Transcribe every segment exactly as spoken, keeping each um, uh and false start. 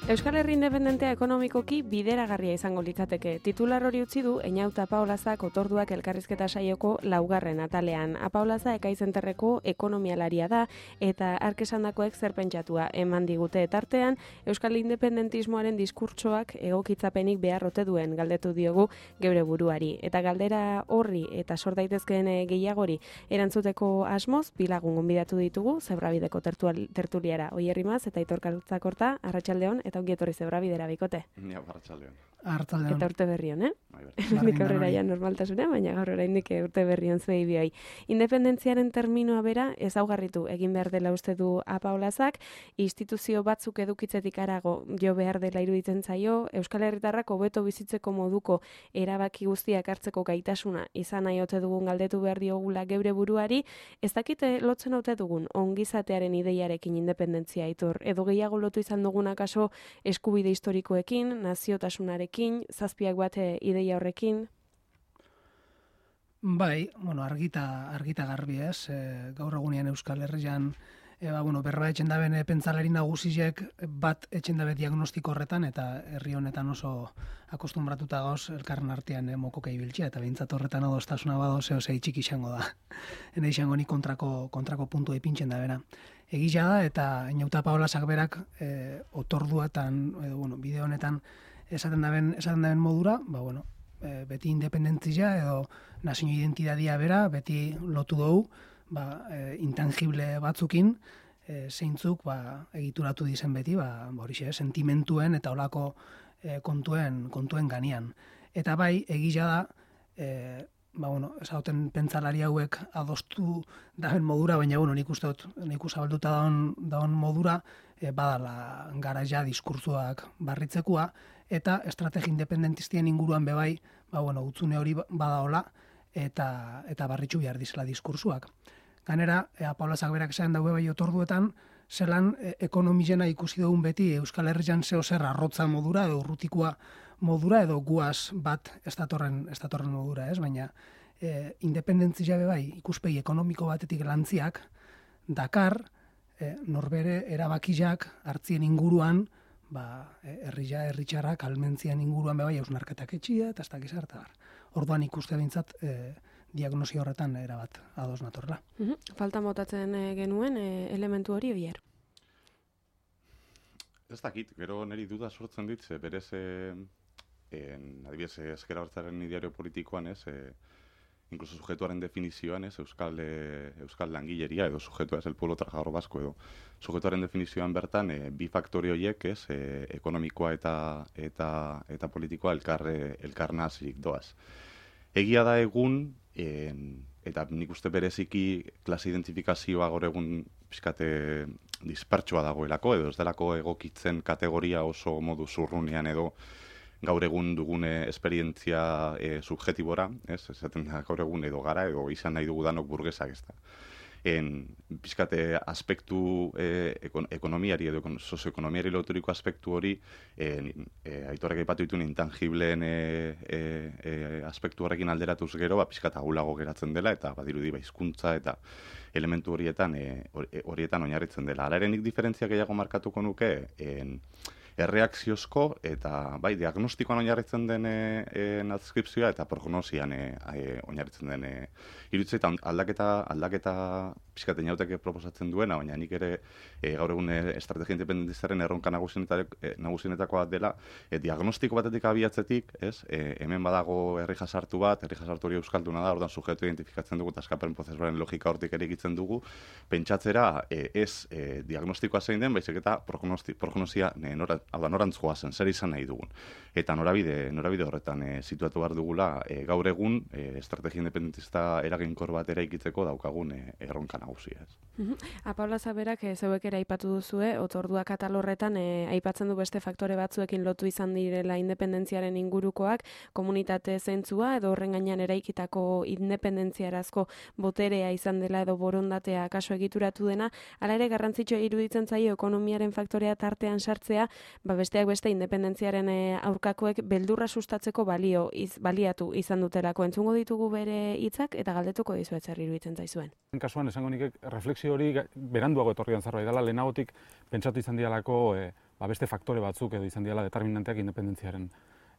Euskal Herri independentea ekonomikoki bideragarria izango litzateke. Titular hori utzi du Eñauta Apaolazak otorduak elkarrizketa saioko laugarren atalean. Apaolaza ekaizenterreko ekonomialaria da eta arkesandakoek zer pentsatua eman digute tartean Euskal independentismoaren diskurtsoak egokitzapenik beharrote duen galdetu diogu geure buruari. Eta galdera horri eta sor daitezkeen gehiagori erantzuteko asmoz bilagun gonbidatu ditugu Zebrabideko tertuliara. Oier Rimaz eta Aitor Kaltzakorta, arratsaldeon eta ongi etorri Zebrabidera bikote. Ja, arratsaldeon. Arratsaldeon. Eta urte berrion, eh? Nik aurrera ja normaltasuna, baina gaur oraindik urte berrion zuei bioi. Independentziaren terminoa bera ezaugarritu egin behar dela uste du Apaolazak, instituzio batzuk edukitzetik harago jo behar dela iruditzen zaio, Euskal Herritarrak hobeto bizitzeko moduko erabaki guztiak hartzeko gaitasuna izan nahi ote dugun galdetu behar diogula geure buruari, ez dakite lotzen ote dugun ongizatearen ideiarekin independentzia Aitor, edo gehiago lotu izan dugun akaso eskubide historikoekin, naziotasunarekin, zazpiak bat ideia horrekin? Bai, bueno, argita, argita garbi ez, e, gaur egunean Euskal Herrian e, ba, bueno, berba etxen daben e, pentsalari nagusiek bat etxen dabe diagnostiko horretan eta herri honetan oso akostumbratuta gauz elkarren artean e, mokoka ibiltzea eta behintzat horretan adostasuna bado zeo zei txiki izango da. Ene izango ni kontrako, kontrako puntu ipintzen da bera. Egia da eta Eñauta Apaolazak berak e, otorduatan, edo, bueno, bideo honetan esaten daben, esaten daben modura, ba, bueno, e, beti independentzia edo nazio identitatea bera, beti lotu dugu, ba, e, intangible batzukin, e, zeintzuk ba, egituratu dizen beti, ba, ba horixe, sentimentuen eta olako e, kontuen, kontuen ganian. Eta bai, egia da, e, ba, bueno, esauten pentsalari hauek adostu daben modura, baina, bueno, nik uste dut, nik usabalduta daun, daun modura, e, badala gara ja diskurtzuak barritzekua, eta estrategi independentistien inguruan bebai, ba, bueno, utzune hori badaola, eta, eta barritxu behar dizela diskurtzuak. Ganera, e, Apaolazak berak esan daue bai otorduetan, zelan e, ekonomizena ikusi dugun beti Euskal Herrian zeo zer arrotza modura, edo urrutikoa modura, edo guaz bat estatorren, estatorren modura, ez? Baina, e, independentzia bebai ikuspegi ekonomiko batetik lantziak, Dakar, e, norbere erabakiak hartzien inguruan, ba, herria, herritxarrak, almentzian inguruan bebai hausnarketak etxia, eta ez dakiz harta bar. Orduan ikuste bintzat, e, diagnosi horretan erabat ados natorla. Uh-huh. Falta motatzen e, genuen e, elementu hori Oier? Ez dakit, gero niri duda sortzen dit, ze berez, e, adibidez, ezker abertzaren ideario politikoan, ez, e, inkluso sujetuaren definizioan, ez, euskal, e, euskal langileria, edo sujetua ez, el pueblo trabajador vasco, edo sujetuaren definizioan bertan, e, bi faktore horiek, ez, e, ekonomikoa eta, eta, eta politikoa elkar, elkar nazik doaz. Egia da egun, e, eta nik uste bereziki klase identifikazioa gaur egun pixkate dispertsoa dagoelako, edo ez delako egokitzen kategoria oso modu zurrunean edo gaur egun dugune esperientzia e, subjetibora, ez, esaten da gaur egun edo gara, edo izan nahi dugu danok burgesak ez da. En, pizkate aspektu e, ekon, ekonomiari edo sozioekonomiari loturiko aspektu hori e, e, Aitorrek aipatu dituen intangibleen e, e, e, aspektu horrekin alderatuz gero, ba, pizkata agulago geratzen dela eta badirudi ba, hizkuntza eta elementu horietan e, horietan oinarritzen dela. Hala ere nik diferentzia gehiago markatuko nuke en, erreakziozko eta bai diagnostikoan oinarritzen den e, e, adskripzioa eta prognosian e, e, oinarritzen den e, iruditzen aldaketa aldaketa pixkat Eñautek proposatzen duena, baina nik ere e, gaur egun e, estrategia independentistaren erronka nagusienetakoa dela e, diagnostiko batetik abiatzetik, ez? E, hemen badago herri jasartu bat, herri jasartu hori euskalduna da, ordan sujetu identifikatzen dugu eta askapen prozesuaren logika hortik ere egitzen dugu, pentsatzera e, ez e, diagnostikoa zein den, baizik eta prognosia e, nora, hau da, norantzkoa zen, zer izan nahi dugun. Eta norabide, norabide horretan e, situatu behar dugula e, gaur egun e, estrategia independentista eraginkor bat eraikitzeko daukagun e, erronka nagusia. Uh-huh. Apaolaza berak e, zeuek ere aipatu duzue, otorduak atal horretan e, aipatzen du beste faktore batzuekin lotu izan direla independentziaren ingurukoak, komunitate zentzua edo horren gainean eraikitako independentziarazko boterea izan dela edo borondatea kaso egituratu dena, hala ere garrantzitsua iruditzen zaio ekonomiaren faktorea tartean sartzea, ba besteak beste independentziaren e, aurkakoek beldurra sustatzeko balio iz, baliatu izan dutelako. Entzungo ditugu bere hitzak eta galdetuko dizuet zer iruditzen zaizuen. Kasuan esango nik refleksio hori beranduago etorrian zerbait dela, lehenagotik pentsatu izan dialako e, ba, beste faktore batzuk edo izan diala determinanteak independentziaren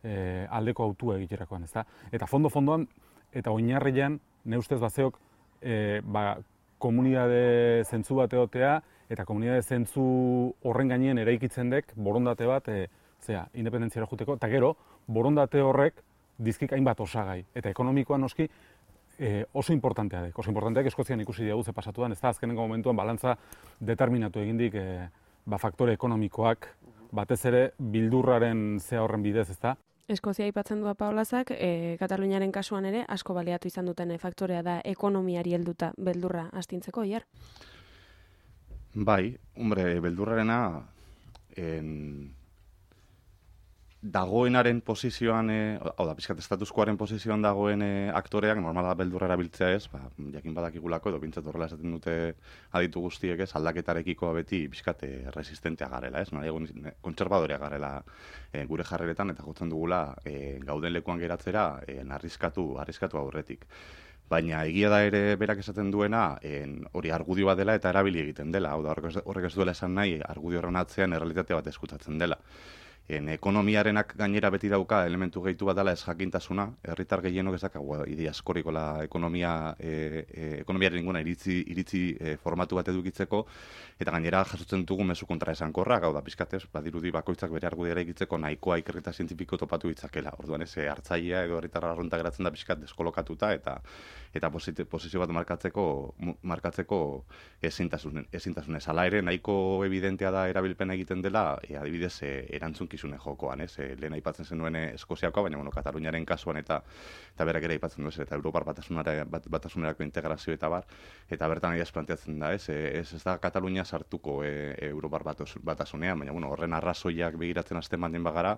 e, aldeko autua egiterakoan, ezta? Eta fondo-fondoan, eta oinarrian, ne ustez bazeok, e, ba, komunitate zentzu bat egotea, eta komunitate zentzu horren gainean eraikitzen dek borondate bat, e, zera, independentziara juteko, eta gero, borondate horrek dizkik hainbat osagai. Eta ekonomikoan noski, e, oso importantea dek. Oso importanteak Eskozian ikusi diagu ze pasatuan, ez da, azkenengo momentuan balantza determinatu egindik e, ba, faktore ekonomikoak, batez ere bildurraren zea horren bidez, ez da. Eskozia aipatzen du Paulazak, e, Kataluniaren kasuan ere asko baliatu izan duten faktorea da ekonomiari helduta beldurra astintzeko, Iar? Bai, hombre, beldurrarena en... dagoenaren posizioan, e, hau da, pixkat estatuskoaren posizioan dagoen e, aktoreak, normala beldurra erabiltzea ez, ba, jakin badakigulako, edo bintzat horrela esaten dute aditu guztiek ez, aldaketarekiko beti pixkat e, resistentea garela, ez, nahi egun kontserbadorea garela e, gure jarreretan, eta jotzen dugula e, gauden lekuan geratzera e, arriskatu, arriskatu aurretik. Baina egia da ere berak esaten duena, en, hori argudio bat dela eta erabili egiten dela, hau da, horrek ez duela esan nahi, argudio horren atzean errealitate bat eskutatzen dela. En, ekonomiarenak gainera beti dauka elementu gehitu bat dela ez jakintasuna, herritar gehienok ez dakagu idea askorikola ekonomia, e, e, ekonomiaren inguna iritzi, iritzi e, formatu bat edukitzeko, eta gainera jasotzen dugu mezu kontra esankorrak, hau da, pizkatez, badirudi bakoitzak bere argudiara egitzeko nahikoa ikerketa zientifiko topatu ditzakela. Orduan ez hartzailea edo herritar arrunta geratzen da pizkat deskolokatuta eta eta posizio bat markatzeko markatzeko ezintasun ezintasunez. Hala ere nahiko evidentea da erabilpena egiten dela, e, adibidez e, erantzukizune jokoan, ez? E, lehen aipatzen zenuen Eskoziakoa, baina bueno, Kataluniaren kasuan eta eta berak ere aipatzen du ez, eta Europar batasunara bat, batasunerako integrazio eta bar, eta bertan ideaz planteatzen da, ez? E, ez, ez da Katalunia sartuko e, Europar batasunean, baina bueno, horren arrazoiak begiratzen hasten baldin bagara,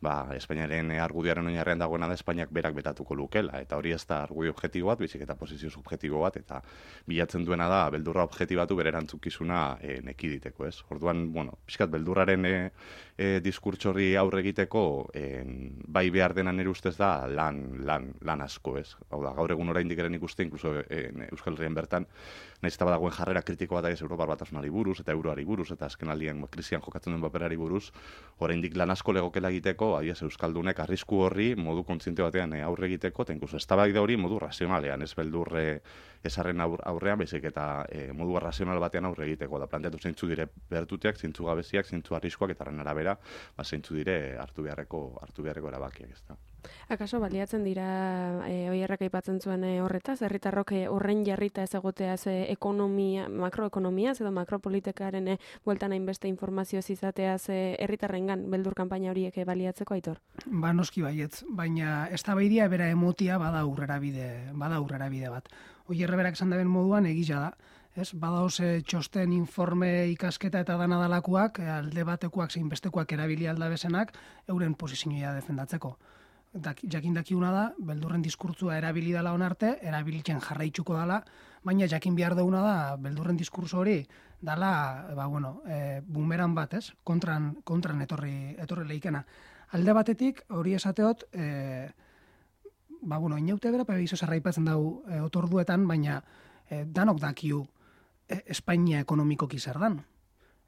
ba, Espainiaren argudioaren oinarrian dagoena da Espainiak berak betatuko lukela, eta hori ez da argudio objektibo bat, bizik eta posizio subjektibo bat, eta bilatzen duena da beldurra objektibatu bere erantzukizuna e, nekiditeko, ez? Orduan, bueno, pixkat beldurraren e, e, diskurtso horri aurre egiteko, e, bai behar dena nire ustez da lan, lan, lan asko, ez? Hau da, gaur egun oraindik eren ikuste, inkluso e, Euskal Herrian bertan, nahiz eta badagoen jarrera kritiko bat ez Europar batasunari buruz, eta euroari buruz, eta azken aldian krisian jokatzen duen paperari buruz, oraindik lan asko legokela egiteko, adiez Euskaldunek arrisku horri modu kontziente batean aurre egiteko, eta inkluso eztabaida hori modu razionalean, ez beldurre esarren aurrean, baizik eta e, modu razional batean aurre egiteko, da planteatu zeintzu dire bertuteak, zeintzu gabeziak, zeintzu arriskuak, eta horren arabera, ba, zeintzu dire hartu beharreko, hartu beharreko erabakiak, ez da. Akaso baliatzen dira e, oierrak aipatzen zuen e, horretaz, herritarrok e, horren jarrita ez egoteaz e, ekonomia, makroekonomiaz edo makropolitikaren e, bueltan hainbeste informazioz izateaz e, herritarrengan beldur kanpaina horiek e, baliatzeko, Aitor? Ba, noski baietz, baina eztabaidia bera emotia bada aurrera bide, bada aurrera bide bat. Oierre berak esan daben moduan egila da, ez? Badaoz txosten, informe, ikasketa eta dana dalakoak, alde batekoak zein bestekoak erabili aldabezenak, euren posizioa defendatzeko. Jakin dakiuna da, beldurren diskurtzua erabili dela onarte, erabilitzen jarraitzuko dela, baina jakin behar duguna da, beldurren diskurtso hori, dela, ba, bueno, e, bumeran bat, ez? Kontran, kontran etorri, etorri leikena. Alde batetik, hori esateot, e, ba, bueno, inaute bera, pebe izo zarraipatzen dau e, otorduetan, baina e, danok dakiu e, Espainia ekonomikoki zer dan.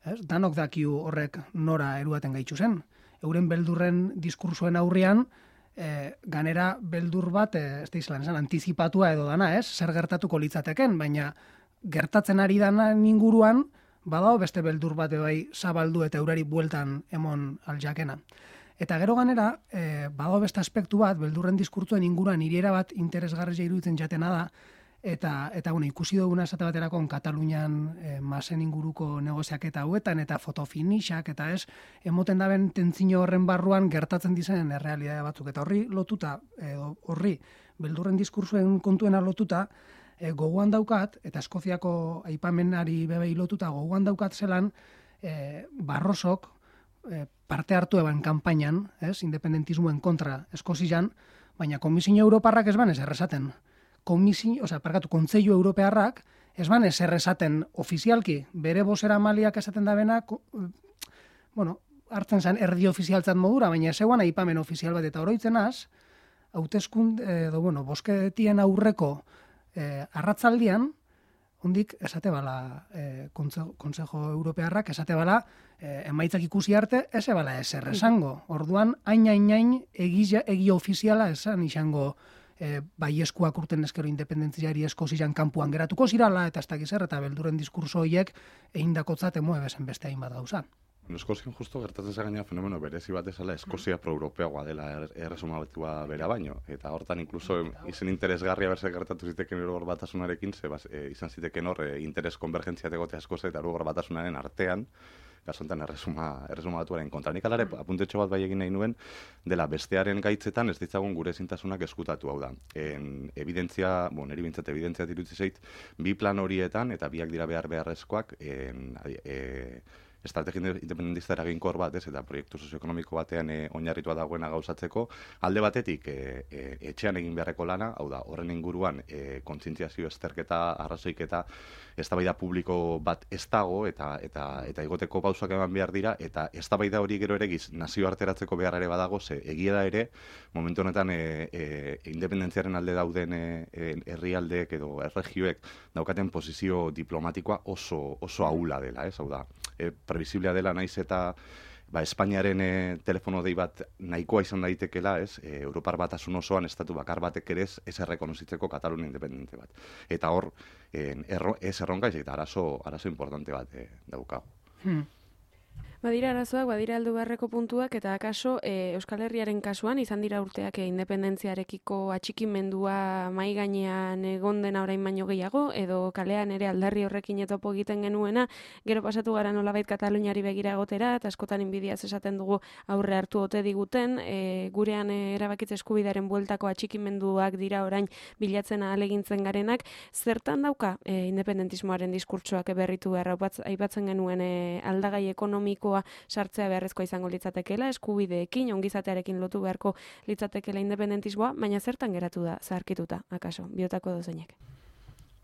Ez? Danok dakiu horrek nora eruaten gaitzu zen. Euren beldurren diskursoen aurrean, E, ganera beldur bat, e, ez da izan, esan, antizipatua edo dana, ez? Zer gertatuko litzateken, baina gertatzen ari dana inguruan, badao beste beldur bat bai zabaldu eta eurari bueltan emon aljakena. Eta gero ganera, e, badao beste aspektu bat, beldurren diskurtzuen inguruan iriera bat interesgarria iruditzen jatena da, eta, eta bueno, ikusi duguna esate baterako Katalunian e, masen inguruko negoziaketa hauetan, eta fotofinixak, eta ez, emoten daben tentzino horren barruan gertatzen dizen errealidade batzuk. Eta horri lotuta, e, horri, beldurren diskursuen kontuena lotuta, e, gogoan daukat, eta Eskoziako aipamenari bebei lotuta gogoan daukat zelan, e, Barrosok e, parte hartu eban kanpainan, ez, independentismoen kontra Eskozian, baina Komisio Europarrak ez ban ez errezaten. Komisio, osea, parkatu, Kontseilu Europearrak, ez ban ez errezaten ofizialki, bere bozera maliak esaten da bena, bueno, hartzen zen erdi ofizialtzat modura, baina ez eguan aipamen ofizial bat, eta oroitzen az, hauteskund, edo, bueno, bosketien aurreko eh, arratzaldian, hundik esate bala e, Konsejo Europearrak esate bala e, emaitzak ikusi arte eze bala ezer esango. Orduan, hain hain hain egia, egia ofiziala esan izango e, baieskuak urten eskero independentziari esko ziren kanpuan geratuko zirala, eta ez dakiz zer, eta belduren diskurso horiek egin dakotzat emue bezen beste hainbat gauza. Eskozian justo gertatzen zagaina fenomeno berezi bat esala Eskozia pro-europeagoa dela er, erresumatua bera baino. Eta hortan inkluso izen interesgarria berse gertatu ziteken Europar Batasunarekin, ze bas, e, izan ziteken hor e, interes konvergentzia tegotea Eskozia eta Europar Batasunaren artean, kasu honetan erresuma, erresuma batuaren kontra. Nik alare apuntetxo bat bai egin nahi nuen, dela bestearen gaitzetan ez ditzagun gure ezintasunak eskutatu, hau da. En, evidentzia, bon, eri bintzat evidentzia dirutzi zait, bi plan horietan, eta biak dira behar beharrezkoak, en, e, estrategia independentista eraginkor bat, ez, eta proiektu sozioekonomiko batean e, oinarritua dagoena gauzatzeko, alde batetik e, e, etxean egin beharreko lana, hau da, horren inguruan e, kontzientziazio esterketa, arrazoiketa, eztabaida publiko bat ez dago, eta eta eta igoteko pausak eman behar dira, eta eztabaida hori gero ere giz nazioarteratzeko behar ere badago, ze egia da ere, momentu honetan e, e, independentziaren alde dauden e, herrialdeek edo erregioek daukaten posizio diplomatikoa oso oso ahula dela, ez, hau da, e, previsiblea dela naiz eta ba, Espainiaren e, telefono dei bat nahikoa izan daitekela, ez, e, Europar Batasun osoan estatu bakar batek ere ez, ez errekonozitzeko Katalunia independente bat. Eta hor, e, erro, ez erronka, eta arazo, arazo importante bat e, daukagu. Hmm. Badira arazoak, badira aldu beharreko puntuak, eta akaso e, Euskal Herriaren kasuan izan dira urteak e, independentziarekiko atxikimendua mai gainean egon dena orain baino gehiago, edo kalean ere aldarri horrekin etopo egiten genuena, gero pasatu gara nolabait Kataluniari begira egotera, eta askotan inbidiaz esaten dugu aurre hartu ote diguten, e, gurean e, erabakitze eskubidearen bueltako atxikimenduak dira orain bilatzen ahalegintzen garenak, zertan dauka e, independentismoaren diskurtsoak berritu beharra aipatzen genuen e, aldagai ekonomikoa sartzea beharrezkoa izango litzatekeela, eskubideekin, ongizatearekin lotu beharko litzatekeela independentismoa, baina zertan geratu da, zaharkituta, akaso, biotako dozeinek?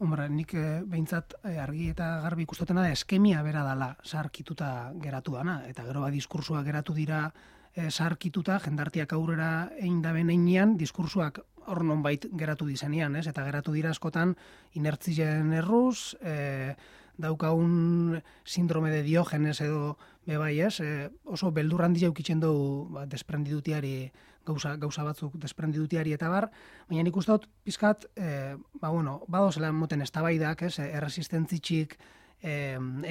Hombre, nik e, behintzat e, argi eta garbi ikustotena da eskemia bera dala zaharkituta geratu dana, eta gero ba diskursuak geratu dira e, zaharkituta, jendartiak aurrera egin daben einean, diskursuak hor nonbait geratu dizenean, ez? Eta geratu dira askotan inertzien erruz, e, daukagun sindrome de Diogenes edo bebai, ez? E, oso beldur handia eukitzen dugu ba, desprendidutiari, gauza, gauza batzuk desprendidutiari eta bar, baina nik uste dut pizkat, e, ba bueno, badozela moten eztabaidak, ez? Erresistentzitxik e,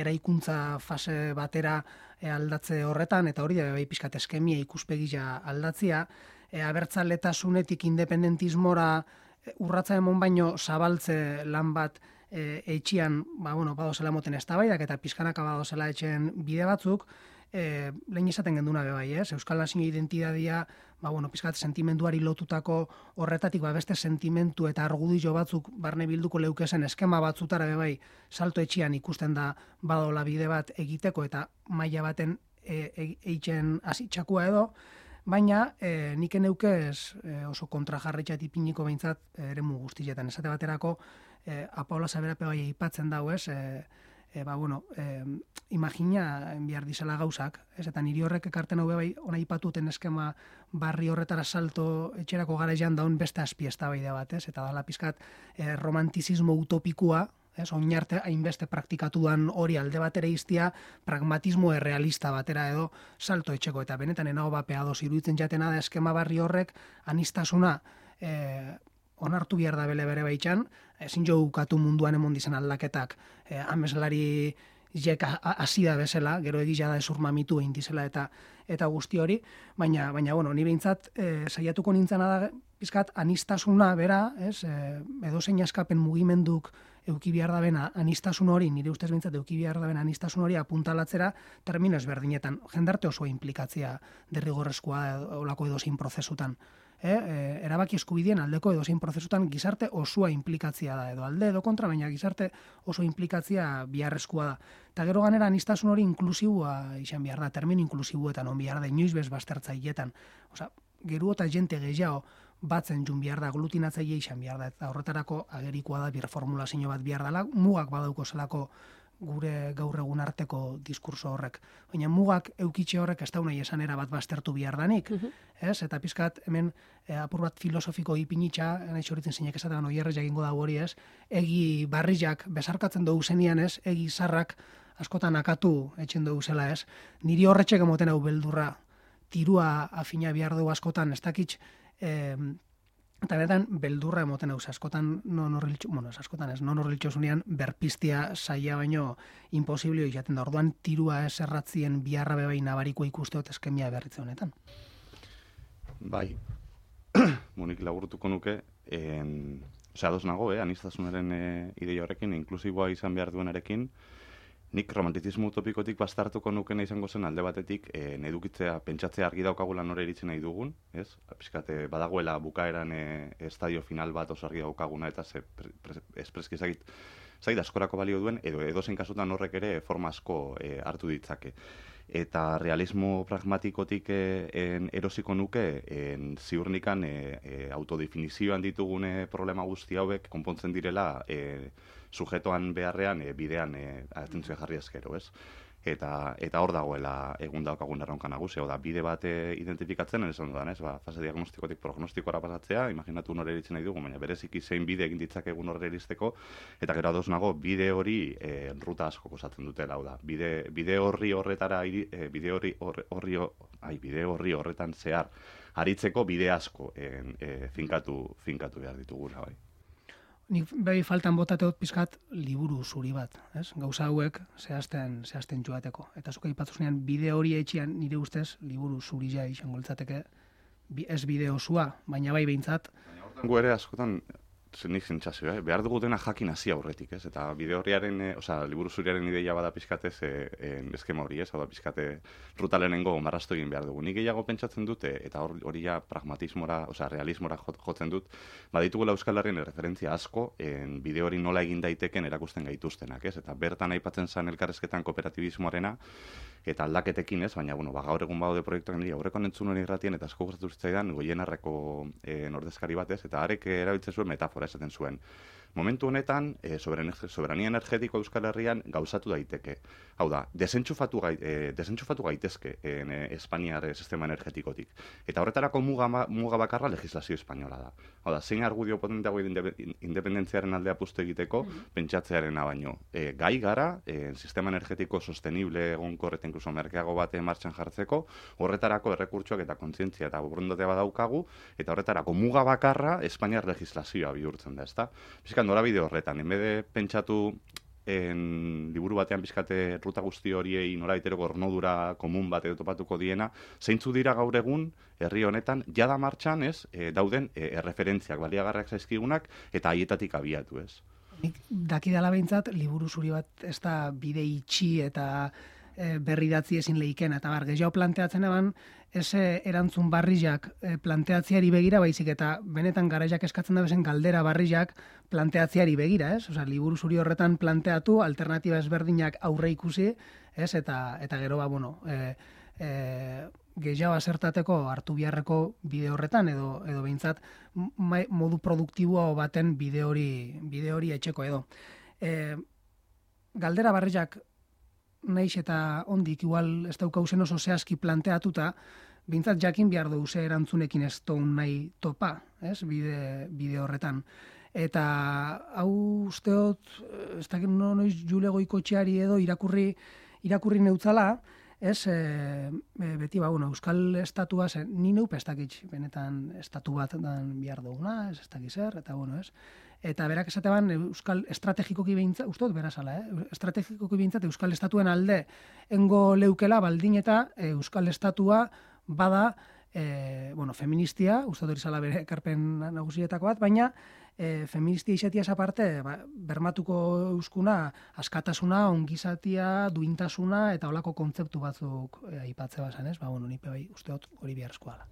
eraikuntza fase batera e, aldatze horretan, eta hori da bebai pizkat eskemia ikuspegia aldatzia, e, abertzaletasunetik independentismora e, urratza emon baino zabaltze lan bat E, etxian, ba, bueno, badozela moten eztabaidak eta pizkanaka badozela etxen bide batzuk, e, lehen izaten genduna bebai, ez? Euskal Nazio identidadia, ba, bueno, pizkat sentimenduari lotutako horretatik, ba, beste sentimentu eta argudio batzuk barne bilduko leukesen eskema batzutara bebai, salto etxian ikusten da badola bide bat egiteko eta maila baten e, e, eitzen hasitxakua edo, baina e, nik eneukez e, oso kontrajarritxat ipiniko behintzat eremu guztietan. Esate baterako, e, Apaola Saberape bai aipatzen dau, ez, e, e, ba, bueno, e, imagina behar dizela gauzak, ez, eta niri horrek ekarten hau bai, ona aipatuten eskema barri horretara salto etxerako garaian daun beste azpi eztabaida bat, ez, eta dala pizkat e, romantizismo utopikua, ez, oinarte hainbeste praktikatuan hori alde batera iztia, pragmatismo errealista batera edo salto etxeko, eta benetan enago bapea doz iruditzen jatena da eskema barri horrek anistasuna e, onartu behar da bele bere baitxan, ezin jo ukatu munduan emon dizen aldaketak, e, ameslari jek hasi da bezala, gero egila da ezur mamitu egin dizela eta eta guzti hori, baina, baina bueno, ni behintzat e, saiatuko nintzena da pizkat anistasuna bera, ez, e, edozein askapen mugimenduk euki behar da bena anistasun hori, nire ustez behintzat euki behar da bena anistasun hori apuntalatzera termino ezberdinetan, jendarte oso implikatzea derrigorrezkoa olako edozein prozesutan. E, e, erabaki eskubidien aldeko edozein prozesutan gizarte osoa implikatzia da, edo alde edo kontra, baina gizarte oso implikatzia biharrezkoa da. Eta gero ganera anistasun hori inklusibua izan behar da, termino inklusibuetan on behar da, inoiz bez baztertzailetan. Osa, geru eta jente gehiago batzen jun behar da, aglutinatzaile izan behar da, eta horretarako agerikoa da birformulazio bat behar dela, mugak badauko zelako gure gaur egun arteko diskurso horrek. Baina mugak eukitxe horrek ez da nahi esan era bat baztertu behar danik. Ez? Eta pizkat hemen e, apur bat filosofiko ipinitxa, nahi txoritzen zinek esatean oierrez jakingo da hori ez, egi barrizak besarkatzen dugu zenian ez, egi zarrak askotan akatu etxen dugu zela ez. Niri horretxek emoten hau beldurra, tirua afina behar dugu askotan, ez dakitx, e, eta benetan beldurra emoten hau askotan non horriltxo, bueno, ez askotan ez, non horriltxo zunean berpiztia saia baino imposiblio izaten da. Orduan tirua ez erratzien biharra bebai nabariko ikusteot eskemia berritze honetan. Bai, monik laburtuko nuke, en, ose, ados nago, eh, aniztasunaren e, ideia horrekin, inklusiboa izan behar duenarekin, nik romantizismo utopikotik bastartuko nukena izango zen alde batetik, e, edukitzea, pentsatzea argi daukagula nore iritzen nahi dugun, ez? Piskate, badagoela bukaeran e, estadio final bat oso argi daukaguna, eta ze espreski ezagit, zait askorako balio duen, edo edozein kasutan horrek ere forma asko e, hartu ditzake. Eta realismo pragmatikotik e, en, erosiko nuke en, ziurnikan e, e, autodefinizioan ditugune problema guzti hauek konpontzen direla e, sujetoan beharrean e, bidean e, atentzioa jarri ezkero, ez? Eta eta hor dagoela egun daukagun erronka nagusia, da bide bat identifikatzen esan dudan, ez? Ba, fase diagnostikotik prognostikora pasatzea, imaginatu nore eritzen nahi dugu, baina bereziki zein bide egin ditzakegun horre eristeko, eta gero ados nago bide hori e, ruta asko osatzen dutela, hau da. Bide, bide horri horretara iri, e, bide horri horri, horri ai, bide horri horretan zehar aritzeko bide asko en, e, finkatu finkatu behar ditugula, bai. Nik behi faltan botateot pizkat liburu zuri bat, ez? Gauza hauek zehazten, zehazten joateko. Eta zuka ipatzuzenean bide hori etxian nire ustez liburu zuri ja izango litzateke ez bide osua, baina bai behintzat. Baina hortan gu ere askotan nik zentzazio, eh? Behar dugutena jakin hasi aurretik, ez? Eta bide horriaren, eh, osea, liburu zuriaren ideia bada pizkatez eh, eh, eskema hori, ez? Hau da pizkate ruta lehenengo marrastu egin behar dugu. Nik gehiago pentsatzen dute, eta hori ja pragmatismora, osea, realismora jotzen dut, baditugula Euskal Herrien referentzia asko, en bide hori nola egin daiteken erakusten gaituztenak, ez? Eta bertan aipatzen zen elkarrezketan kooperatibismoarena, eta aldaketekin ez, baina, bueno, ba, gaur egun baude proiektuak nire aurreko nentzun hori irratien, eta asko gustatu zitzaidan Goienarreko e, nordezkari batez, eta arek erabiltzen zuen metafora esaten zuen. Momentu honetan, e, soberania energetiko Euskal Herrian gauzatu daiteke. Hau da, desentxufatu, gai, e, desentxufatu gaitezke en, e, Espainiar sistema energetikotik. Eta horretarako muga, muga bakarra legislazio espainola da. Hau da, zein argudio potenteago independentziaren aldea puztu egiteko, mm-hmm. pentsatzearena baino. E, gai gara, e, sistema energetiko sostenible egonkor eta inkluso merkeago bate martxan jartzeko, horretarako errekurtsoak eta kontzientzia eta borondatea badaukagu, eta horretarako muga bakarra Espainiar legislazioa bihurtzen da, ezta? Bizkan norabide horretan, enbede pentsatu en liburu batean bizkate ruta guzti horiei norabitero gornodura komun bat edo topatuko diena, zeintzu dira gaur egun herri honetan jada martxan, ez, e, dauden e, erreferentziak, baliagarriak zaizkigunak eta haietatik abiatu, ez. Nik dakidala behintzat, liburu zuri bat ez da bide itxi eta e, berri datzi ezin lehiken, eta bar, gehiago planteatzen eban, ez erantzun barrizak planteatziari begira, baizik eta benetan garaiak eskatzen da bezen galdera barrizak planteatziari begira, ez? Osea, liburu zuri horretan planteatu, alternatiba ezberdinak aurre ikusi, ez? Eta, eta gero, ba, bueno, e, e, gehiago asertateko hartu biharreko bide horretan, edo, edo behintzat modu produktibo baten bide hori, bide hori etxeko edo. E, galdera barrizak naiz eta ondik igual ez daukauzen oso zehazki planteatuta, bintzat jakin behar dugu ze erantzunekin ez toun nahi topa, ez, bide, bide horretan. Eta hau usteot, ez dakit no, noiz Jule Goikotxeari edo irakurri, irakurri neutzala, ez, e, beti ba, bueno, Euskal Estatua zen, ni neupe ez dakit, benetan estatu bat dan behar duguna, ez ez dakit zer, eta bueno, ez. Eta berak esateban Euskal estrategikoki behintzat, ustot berazala, eh? estrategikoki behintzat Euskal Estatuen alde engo leukela baldin eta Euskal Estatua bada, e, bueno, feministia, ustot hori zala bere ekarpen nagusietako bat, baina e, feministia izatiaz aparte, ba, bermatuko euskuna askatasuna, ongizatia, duintasuna eta holako kontzeptu batzuk e, aipatze bazan, ez? Ba, bueno, nipe bai, usteot hori beharrezkoa da.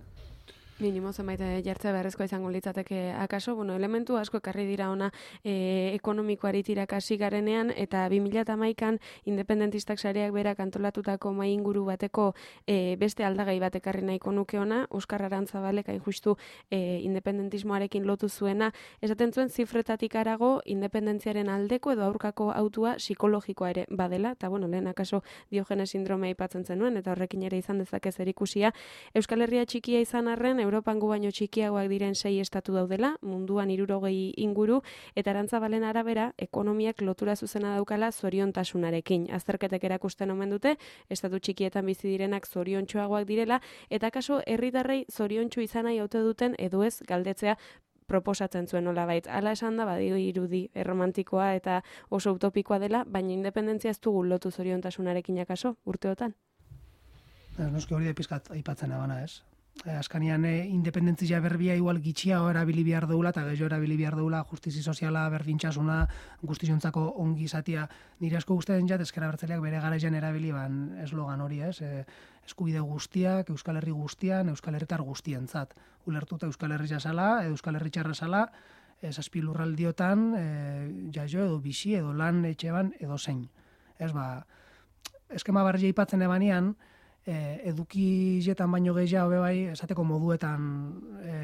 Minimo zenbait jartzea beharrezkoa izango litzateke akaso, bueno, elementu asko ekarri dira ona e, ekonomikoari tirakasi garenean, eta bi mila hamaikan independentistak sareak berak antolatutako mai inguru bateko e, beste aldagai bat ekarri nahiko nuke ona, Oskar Arantzabalek hain justu e, independentismoarekin lotu zuena, esaten zuen zifretatik arago independentziaren aldeko edo aurkako autua psikologikoa ere badela, eta bueno, lehen akaso Diogenes sindromea aipatzen zenuen, eta horrekin ere izan dezake zerikusia. Euskal Herria txikia izan arren, Europan gu baino txikiagoak diren sei estatu daudela, munduan hirurogei inguru, eta Arantzabalen arabera, ekonomiak lotura zuzena daukala zoriontasunarekin. Azterketek erakusten omen dute, estatu txikietan bizi direnak zoriontsuagoak direla, eta kaso herritarrei zoriontsu izan nahi ote duten edo ez galdetzea proposatzen zuen nolabait. Hala esan da, badio irudi erromantikoa eta oso utopikoa dela, baina independentzia ez dugu lotu zoriontasunarekin akaso, urteotan? Noski hori da pizkat aipatzen abana, ez? Azkanian e, independentzia berbia igual gitxiago erabili behar deula eta gehiago erabili behar deula justizi soziala, berdintasuna, guztizontzako ongi izatia. Nire asko guztien jat, ezker abertzaleak bere garaian erabili ban eslogan hori, ez? E, eskubide guztiak, Euskal Herri guztian, Euskal Herritar guztientzat. Ulertuta Euskal Herri jasala, Euskal Herri txarra sala, e, zazpi lurraldiotan, e, jaio edo bizi, edo lan etxeban, edo zein. Ez ba, eskema barri aipatzen ebanean, E, edukizetan baino gehiago bebai esateko moduetan, e,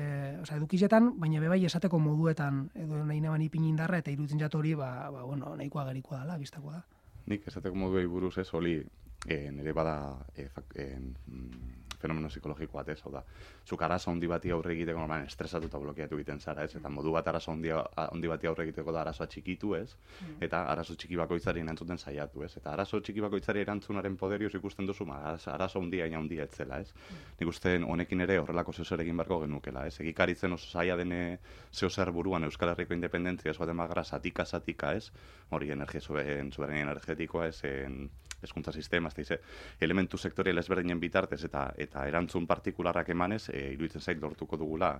oza, edukizetan, baina bebai esateko moduetan edo nahi neban ipin indarra eta iruditzen jat hori, ba, ba, bueno, nahikoa gerikoa dela, biztakoa da. Nik esateko moduei buruz ez, hori e, nire bada e, fak, e, fenomeno psikologikoa ez, hau da. Zuk arazo handi bati aurre egiteko normalen estresatuta blokeatu egiten zara, ez? Eta modu bat arazo handi, handi bati aurre egiteko da arazoa txikitu, ez? Eta arazo txiki bakoitzari erantzuten saiatu, ez? Eta arazo txiki bakoitzari erantzunaren poderioz ikusten duzu, ma, arazo handia ina handia etzela, ez? Nik uste honekin ere horrelako zeo zer egin beharko genukela, ez? Egikaritzen oso zaila dene zeo zer buruan Euskal Herriko independentzia ez baten bagara satika satika, ez? Hori energia soberania energetikoa, ez? En, hezkuntza sistema, ez da, elementu sektorial ezberdinen bitartez eta eta erantzun partikularrak emanez, e, iruditzen zait lortuko dugula,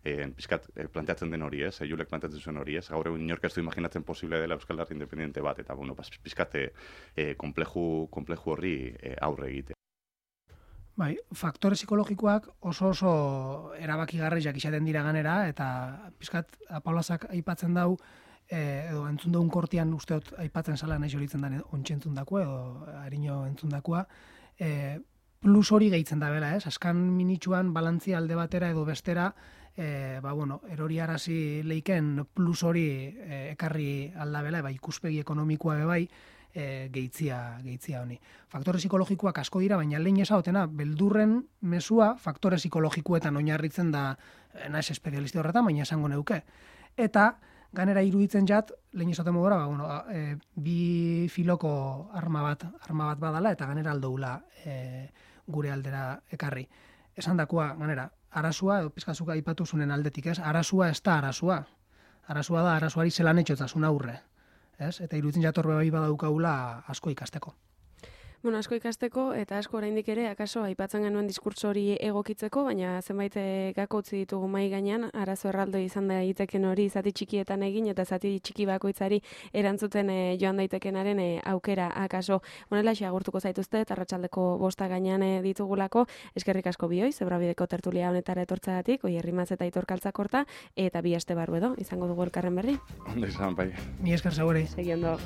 e, pizkat e, planteatzen den hori, ez, e, Julek planteatzen zuen hori, ez, gaur egun inork ez du imaginatzen posible dela Euskal Herri independente bat, eta, bueno, pizkat e, kompleju, kompleju horri e, aurre egite. Bai, faktore psikologikoak oso oso erabakigarriak izaten dira ganera, eta pizkat Paulazak aipatzen dau, E, edo entzun dugun kortian usteot aipatzen zala nahi jolitzen den ontsi entzundakoa edo harino entzundakoa, e, plus hori gehitzen da bela, ez? Askan minitsuan balantzia alde batera edo bestera, e, ba, bueno, erori arazi leiken plus hori e, ekarri aldabela, eba, ikuspegi ekonomikoa bebai, e, gehitzia, gehitzia honi. Faktore psikologikoak asko dira, baina lehen esagotena, beldurren mesua faktore psikologikoetan oinarritzen da, naiz espezialisti horretan, baina esango neuke. Eta, ganera iruditzen jat, lehen esaten modura, ba, bueno, e, bi filoko arma bat, arma bat badala, eta ganera aldoula e, gure aldera ekarri. Esan dakoa, ganera, arasua, edo pizkazuka aipatu zunen aldetik, ez? Arasua ez da arasua. Arasua da, arasuari zelan etxotasun aurre. Ez? Eta iruditzen jat horbe bai badaukagula asko ikasteko. Bueno, asko ikasteko eta asko oraindik ere akaso aipatzen genuen diskurtso hori egokitzeko, baina zenbait gako utzi ditugu mai gainean, arazo erraldo izan daiteken hori zati txikietan egin eta zati txiki bakoitzari erantzuten e, joan daitekenaren e, aukera akaso. Honela agurtuko zaituzte eta arratsaldeko bosta gainean e, ditugulako, eskerrik asko bioi, Zebrabideko tertulia honetara etortzagatik, Oier Rimaz eta Aitor Kaltzakorta, eta bi aste barru edo, izango dugu elkarren berri. Ondo izan, bai. Mi esker segure. Segi ondo.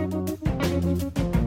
Thank you.